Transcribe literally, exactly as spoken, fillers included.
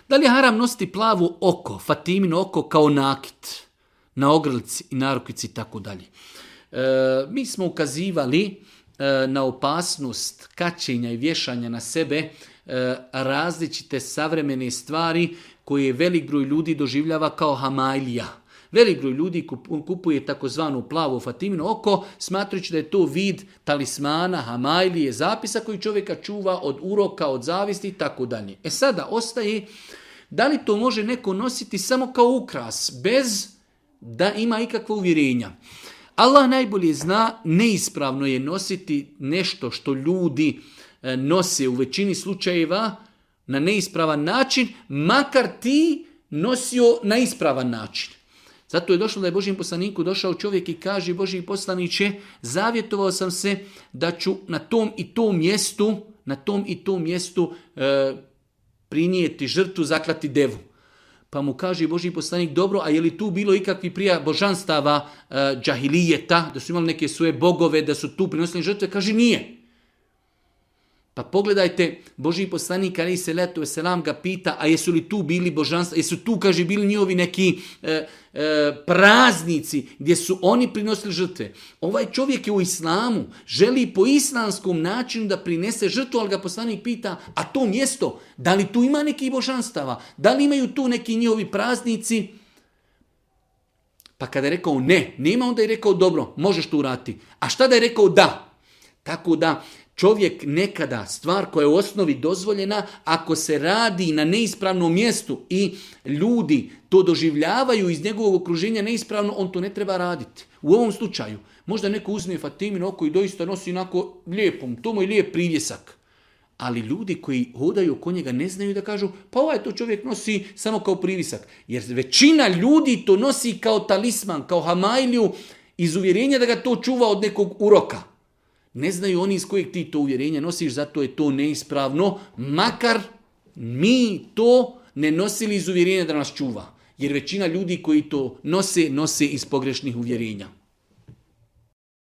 Da li je haram nositi plavo oko, Fatimino oko kao nakit na ogrlici i narukvici i tako dalje? Mi smo ukazivali e, na opasnost kačenja i vješanja na sebe e, različite savremene stvari koje velik broj ljudi doživljava kao hamajlija. Velik broj ljudi kupuje takozvanu plavo Fatimino oko, smatrajući da je to vid talismana, hamajlije, zapisa koji čovjeka čuva od uroka, od zavisti i tako dalje. E sada ostaje, da li to može neko nositi samo kao ukras, bez da ima ikakva uvjerenja. Allah najbolje zna, neispravno je nositi nešto što ljudi nose u većini slučajeva na neispravan način, makar ti nosio na ispravan način. Zato je došlo da je Božjem poslaniku došao čovjek i kaže: Božji poslaniče, zavjetovao sam se da ću na tom i tom mjestu, na tom i tom mjestu e, prinijeti žrtvu, zaklati devu. Pa mu kaže Božji poslanik: dobro, a je li tu bilo ikakvi prija božanstava e, džahilijeta, da su imali neke svoje bogove, da su tu prinosili žrtve? Kaže: nije. Pa pogledajte, Božji poslanik alejhi selatu vesselam ga pita: a jesu li tu bili božanstva, jesu tu, kaže, bili njihovi neki e, e, praznici gdje su oni prinosili žrtve? Ovaj čovjek je u islamu, želi po islamskom načinu da prinese žrtvu, ali ga poslanik pita: a to mjesto, da li tu ima neki božanstava, da li imaju tu neki njihovi praznici? Pa kada je rekao ne, nema, onda je rekao: dobro, možeš to uraditi. A šta da je rekao da? Tako da čovjek nekada, stvar koja je u osnovi dozvoljena, ako se radi na neispravnom mjestu i ljudi to doživljavaju iz njegovog okruženja neispravno, on to ne treba raditi. U ovom slučaju, možda neko uzme Fatimino oko i doista nosi onako lijepom, to mu je lijep privjesak. Ali ljudi koji hodaju oko njega ne znaju da kažu: pa ovaj to čovjek nosi samo kao privjesak. Jer većina ljudi to nosi kao talisman, kao hamajliju, iz uvjerenja da ga to čuva od nekog uroka. Ne znaju oni iz kojeg ti to uvjerenja nosiš, zato je to neispravno, makar mi to ne nosili iz uvjerenja da nas čuva. Jer većina ljudi koji to nose, nose iz pogrešnih uvjerenja.